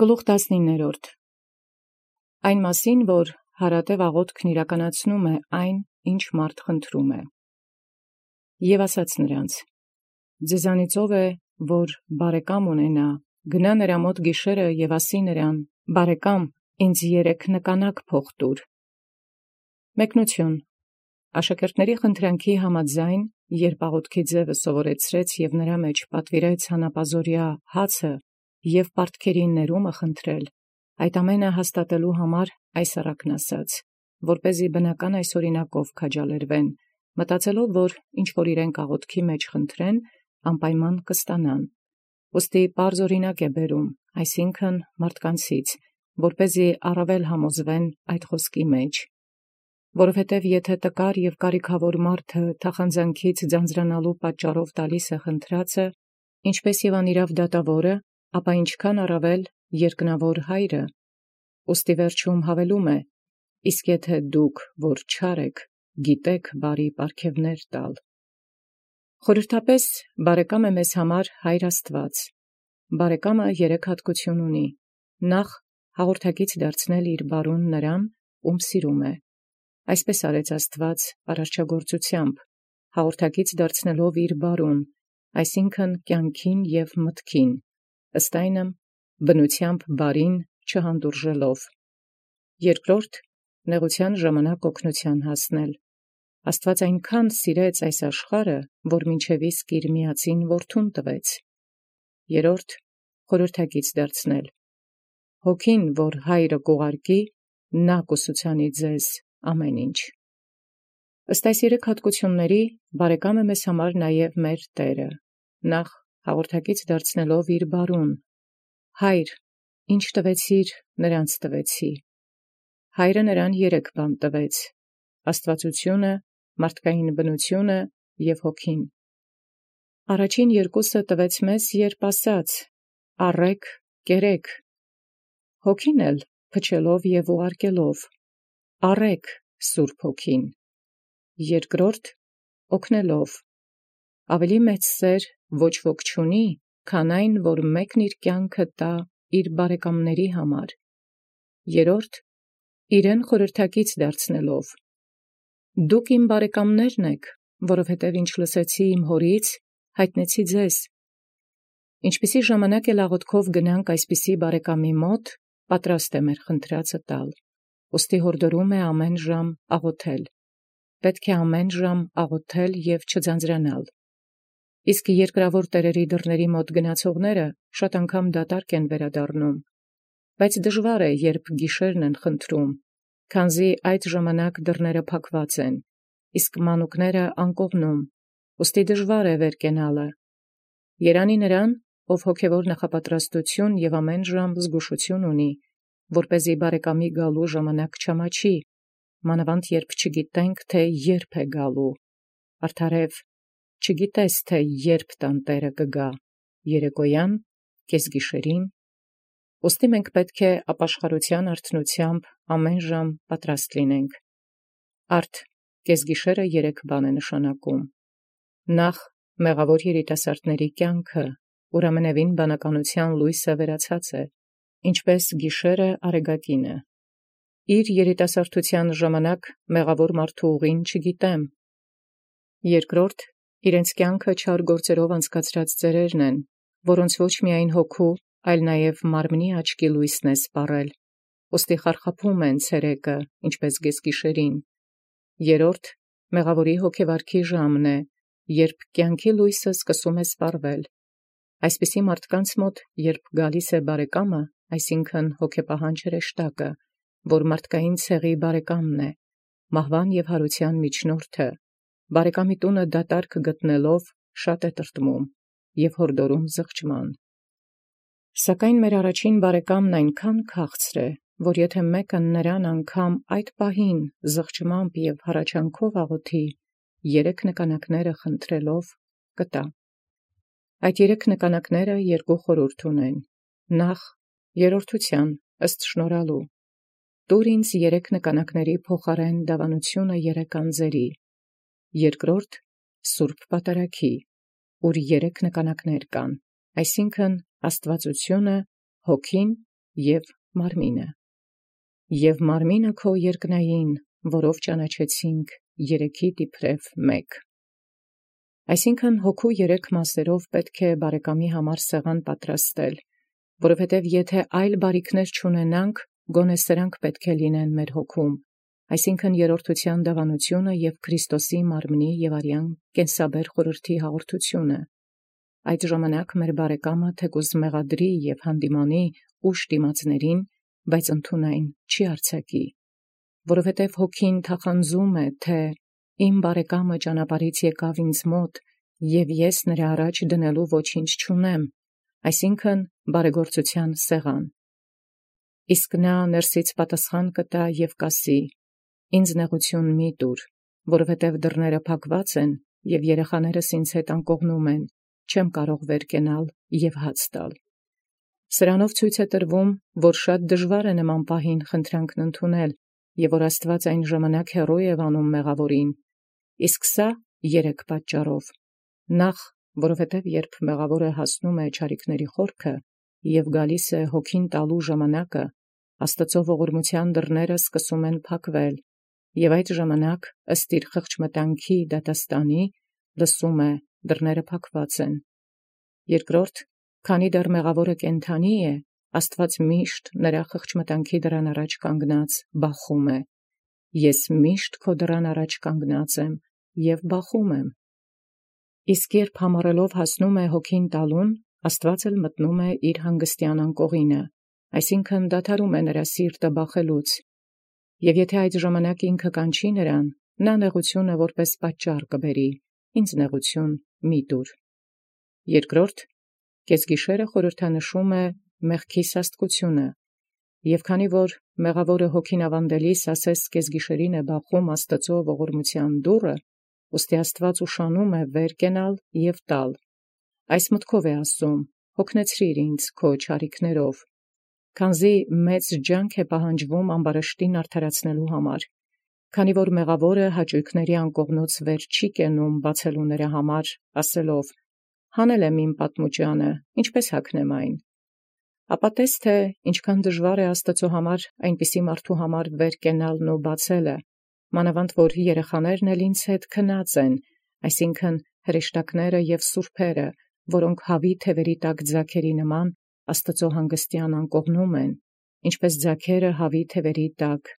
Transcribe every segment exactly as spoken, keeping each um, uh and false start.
Գլուխ տասնիններորդ. Այն մասին, որ հարատև աղոթքն իրականացնում է այն, ինչ մարդ խնդրում է։ Եւ ասաց նրանց. ձեզանից ով է, որ բարեկամ ունենա, գնա նրա մոտ գիշերը եւ ասի նրան. բարեկամ, ինձ երեք նկանակ փող տուր։ Մեկնություն. Աշակերտների խնդրանքի համաձայն, երբ աղոթքի ձևը սովորեցրեց եւ նրա մեջ պատվիրեց հանապազորյա հացը եւ պարտքերի ներումը խնդրել, այդ ամենը հաստատելու համար այս առակն ասաց, որպեսզի բնական այս օրինակով քաջալերվեն, մտածելով, որ ինչ որ իրենք աղոթքի մեջ խնդրեն, անպայման կստանան։ Ուստի պարզ օրինակ է բերում, այսինքն մարդկանցից, որպեսզի առավել համոզվեն այդ խոսքի մեջ։ Որովհետև եթե տկար եւ կարիքավոր մարդը թախանձանքից ձանձրանալու պատճառով տալիս է խնդրածը, ինչպես եւ անիրավ դատավորը, ապա ինչքան առավել երկնավոր հայրը, ուստի վերջում հավելում է. իսկ եթե դուք, որ չար եք, գիտեք բարի պարգևներ տալ։ Խորհրդապես բարեկամ է մեզ համար Հայր Աստված։ Բարեկամը երեք հատկություն ունի. նախ հաղորդակից դարձնել իր բարուն նրան, ում սիրում է։ Այսպես արեց Աստված արարչագործությամբ, հաղորդակից դարձնելով իր բարուն, այսինքն կյանքին եւ մտքին, ըստ այնմ բնությամբ բարին չհանդուրժելով։ Երկրորդ, նեղության ժամանակ օգնության հասնել։ Աստված այնքան սիրեց այս աշխարհը, որ մինչև իսկ իր միածին որդուն տվեց։ Երրորդ, խորհրդակից դարձնել։ Հոգին, որ հայրը կուղարկի, նա կուսուցանի ձեզ ամեն ինչ։ Ըստ այս երեք հատկությունների, բարեկամ է մեզ համար նաև մեր Տերը, նախ հաղորդակից դարձնելով իր բարուն. Հայր, ինչ տվեցիր, նրանց տվեցի։ Հայրը նրան երեք բան տվեց. աստվածությունը, մարդկային բնությունը և հոգին։ Առաջին երկուսը տվեց մեզ, երբ ասաց. առեք, կերեք, հոգին էլ փչելով և ուղարկելով. առեք Սուրբ Հոգին, երկրորդ օգնելով, ավելի մեծ սեր ոչ ոք չունի, քան այն, որ մեկն իր կյանքը տա իր բարեկամների համար, երրորդ իրեն խորհրդակից դարձնելով. դուք իմ բարեկամներն եք, որովհետև ինչ լսեցի իմ հորից, հայտնեցի ձեզ։ Ինչպիսի ժամանակ էլ աղոթքով գնանք այսպիսի բարեկամի մոտ, պատրաստ է մեր խնդրածը տալ, ուստի հորդորում է ամեն ժամ աղոթել, պետք է ամեն ժամ աղոթել և չձանձրանալ։ Իսկ երկրավոր տերերի դռների մոտ գնացողները շատ անգամ դատարկ են վերադառնում, բայց դժվար է, երբ գիշերն են խնդրում, քանզի այդ ժամանակ դռները փակված են, իսկ մանուկները անկողնում, ուստի դժվար է վեր կենալը։ Երանի նրան, ով հոգևոր նախապատրաստություն և ամեն ժամ զգուշություն ունի, որպեսզի բարեկամի գալու ժամանակ չամաչի, մանավանդ երբ չգիտենք, թե երբ է գալու։ Արդարև, չգիտես, թե երբ տան Տերը կգա, երեկոյան, կեսգիշերին, ուստի մենք պետք է ապաշխարության արթնությամբ ամեն ժամ պատրաստ լինենք։ Արդ կեսգիշերը երեք բան է նշանակում. նախ մեղավոր երիտասարդների կյանքը, ուր ամենևին բանականության լույսը վերացած է, ինչպես գիշերը արեգակինը։ Իր երիտասարդության ժամանակ մեղավոր մարդու ուղին չգիտեմ։ Երկրորդ, իրենց կյանքը չար գործերով անցկացրած ծերերն են, որոնց ոչ միայն հոգու, այլ նաև մարմնի աչքի լույսն է սպառել, ուստի խարխափում են ցերեկը, ինչպես գեսգիշերին։ Երրորդ, մեղավորի հոգեվարքի ժամն է, երբ կյանքի լույսը սկսում է սպառվել։ Այսպիսի մարդկանց մոտ, երբ գալիս է բարեկամը, այսինքն հոգեպահան հրեշտակը, որ մարդկային ցեղի բարեկամն է, մահվան և հարության միջնորդը, բարեկամի տունը դատարկ գտնելով շատ է տրտմում և հորդորում զղջման։ Սակայն մեր առաջին բարեկամն այնքան քաղցր է, որ եթե մեկը նրան անգամ այդ պահին զղջմամբ և հառաչանքով աղոթի, երեք նկանակները խնդրելով, կտա։ Այդ երեք նկանակները երկու խորհուրդ ունեն. նախ, երրորդության, ըստ շնորհալու. տուր ինձ երեք նկանակների փոխարեն դավանությունը երեք անձերի, երկրորդ, Սուրբ Պատարագի, ուր երեք նկանակներ կան, այսինքն աստվածությունը, հոգին և մարմինը։ Եվ մարմինը քո երկնային, որով ճանաչեցինք երեքիդ իբրև մեկ։ Այսինքն հոգու երեք մասերով պետք է բարեկամի համար սեղան պատրաստել, որովհետև եթե այլ բարիքներ չունենանք, գոնե սրանք պետք է լինեն մեր հոգում, այսինքն երրորդության դավանությունը և Քրիստոսի մարմնի և արյան կենսաբեր խորհրդի հաղորդությունը։ Այդ ժամանակ մեր բարեկամը թեկուզ մեղադրի և հանդիմանի ուշ դիմացներին, բայց ընդունայն չի արձակի, որովհետև հոգին թախանձում է, թե իմ բարեկամը ճանապարհից եկավ ինձ մոտ, և ես նրա առաջ դնելու ոչինչ չունեմ, այսինքն բարեգործության սեղան։ Իսկ նա ներսից պատասխան կտա և կասի. «Ինձ նեղություն մի տուր, որովհետև դռները փակված են, և երեխաներս ինձ հետ անկողնում են, չեմ կարող վեր կենալ և հաց տալ»։ Սրանով ցույց է տրվում, որ շատ դժվար է նման պահին խնդրանքն ընդունել, և որ Աստված այն ժամանակ հեռու է վանում մեղավորին, իսկ սա երեք պատճառով. նախ, որովհետև երբ մեղավորը հասնում է չարիքների խորքը և գալիս է հոգին տալու ժամանակը, Աստծո ողորմության դռները սկսում են փակվել, և այդ ժամանակ ըստ իր խղճմտանքի դատաստանի լսում է դռները փակված են։ Երկրորդ, քանի դեռ մեղավորը կենդանի է, Աստված միշտ նրա խղճմտանքի դռան առաջ կանգնած բախում է. «Ես միշտ քո դռան առաջ կանգնած եմ և բախում եմ»։ Իսկ երբ համառելով հասնում է հոգին տալուն, Աստված էլ մտնում է իր հանգստյան անկողինը, այսինքն դադարում է նրա սիրտը բախելուց, և եթե այդ ժամանակ ինքը կանչի նրան, նա նեղությունը որպես պատճառ կբերի. «Ինձ նեղություն մի տուր»։ Երկրորդ, կեսգիշերը խորհրդանշում է մեղքի սաստկությունը, և քանի որ մեղավորը հոգին ավանդելիս ասես կեսգիշերին է բախում Աստծո ողորմության դուռը, ուստի Աստված ուշանում է վեր կենալ և տալ։ Այս մտքով է ասում. «Հոգնեցրիր ինձ քո չարիքներով», քանզի մեծ ջանք է պահանջվում ամբարշտին արդարացնելու համար, քանի որ մեղավորը հաճույքների անկողնուց վեր չի կենում բացելու նրա համար, ասելով. «Հանել եմ իմ պատմուճանը, ինչպե՞ս հագնեմ այն»։ Ապա տես թե ինչքան դժվար է Աստծո համար այնպիսի մարդու համար վեր կենալն ու բացելը, մանավանդ որ երեխաներն էլ ինձ հետ քնած են, այսինքն հրեշտակները և սուրբերը, որոնք հավի թևերի տակ ձագերի նման Աստծո հանգստյան անկողնում են, ինչպես ձագերը հավի թևերի տակ,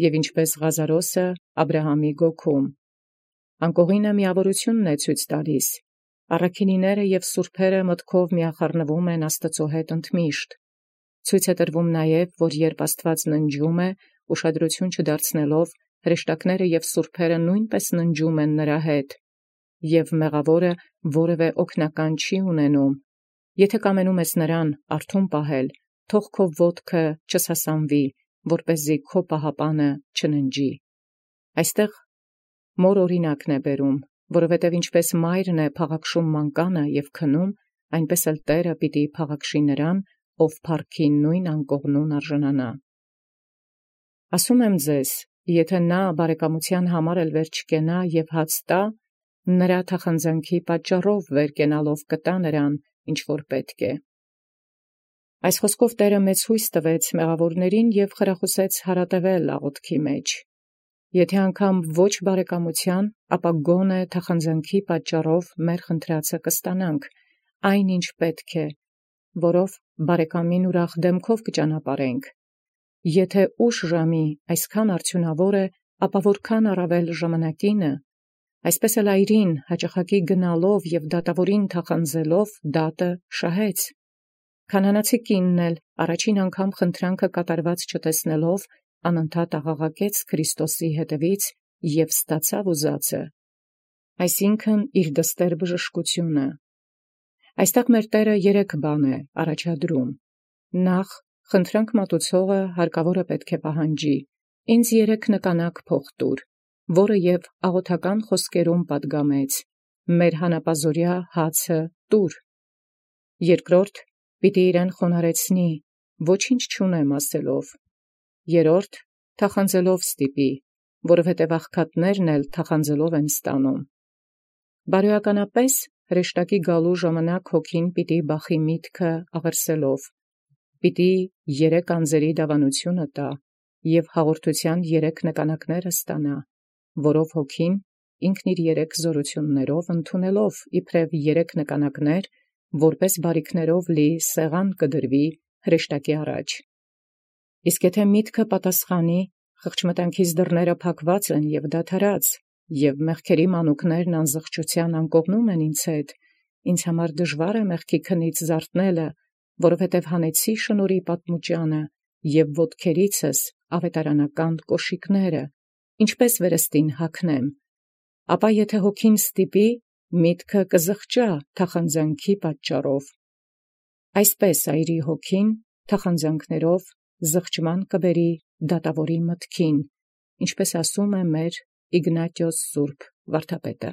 և ինչպես Ղազարոսը Աբրահամի գոգում։ Անկողինը միավորությունն է ցույց տալիս. առաքինիները և սուրբերը մտքով միախառնվում են Աստծո հետ ընդմիշտ։ Ցույց է տրվում նաև, որ երբ Աստված ննջում է, ուշադրություն չդարձնելով, հրեշտակները և սուրբերը նույնպես ննջում են նրա հետ, և մեղավորը որևէ օգնական չի ունենում. «Եթե կամենում ես նրան արթուն պահել, թող քո ոտքը չսասանվի, որպեսզի քո պահապանը չննջի»։ Այստեղ մոր օրինակն է բերում, որովհետև ինչպես մայրն է փաղաքշում մանկանը և քնում, այնպես էլ Տերը պիտի փաղաքշի նրան, ով փառքի նույն անկողնուն արժանանա։ Ասում եմ ձեզ, եթե նա բարեկամության համար էլ վեր չկենա և հաց տա, նրա թախանձանքի պատճառով վեր կենալով կտա նրան, ինչ որ պետք է։ Այս խոսքով Տէրը մեծ հույս տվեց մեղավորներին և խրախուսեց հարատևել աղոթքի մեջ։ Եթե անգամ ոչ բարեկամության, ապա գոնե թախանձանքի պատճառով մեր խնդրածը կստանանք, այն ինչ պետք է, որով բարեկամին ուրախ դեմքով կճանապարհենք։ Եթե ուշ ժամի այսքան արդյունավոր է, ապա որքան առավել ժամանակինը, այսպես էլ այրին հաճախակի գնալով և դատավորին թախանձելով դատը շահեց։ Քանանացի կինն էլ առաջին անգամ խնդրանքը կատարված չտեսնելով անընդհատ աղաղակեց Քրիստոսի հետևից և ստացավ ուզածը, այսինքն իր դստեր բժշկությունը։ Այստեղ մեր Տերը երեք բան է առաջադրում. նախ, խնդրանք մատուցողը հարկավոր է պետք է պահանջի. «Ինձ երեք նկանակ փող տուր», որը և աղոթական խոսքերում պատգամեց. «Մեր հանապազօրյա հացը տուր»։ Երկրորդ, պիտի իրեն խոնարհեցնի, «Ոչինչ չունեմ» ասելով։ Երրորդ, թախանձելով ստիպի, որովհետև աղքատներն էլ թախանձելով են ստանում։ Բարոյականապես հրեշտակի գալու ժամանակ հոգին պիտի բախի միտքը աղերսելով. պիտի երեք անձրի դավանութիւնը տայ, և հաղորդութեան երեք նկանակս ստանա, որով հոգին ինքն իր երեք զօրութիւնացն ընդունելով իբրև երեք նկանակս, որպէս բարիքներով լի սեղան կդրուի հրեշտակի առաջ։ Իսկ եթէ միտքը պատասխանի, խղճմտանքից դռները փակուած են և դադարած, և մեղքերի մանուկներն անզղջութեան անկողնում են ինձ հետ, ինձ համար դժուար է մեղքի քնից զարթնելը, որովհետև հանեցի շնորհի պատմուճանը և ոտքերիցս աւետարանական կոշիկս, ինչպէս վերստին յագնեմ, ապա եթէ հոգին ստիպի, միտքը կզղջայ թախանձանքի պատճառով։ Այսպէս այրի հոգին թախանձանքներով զղջման կբերի դատաւորի մտքին, ինչպէս ասէ մեր Იგնատիոս սուրբ վարդապետը։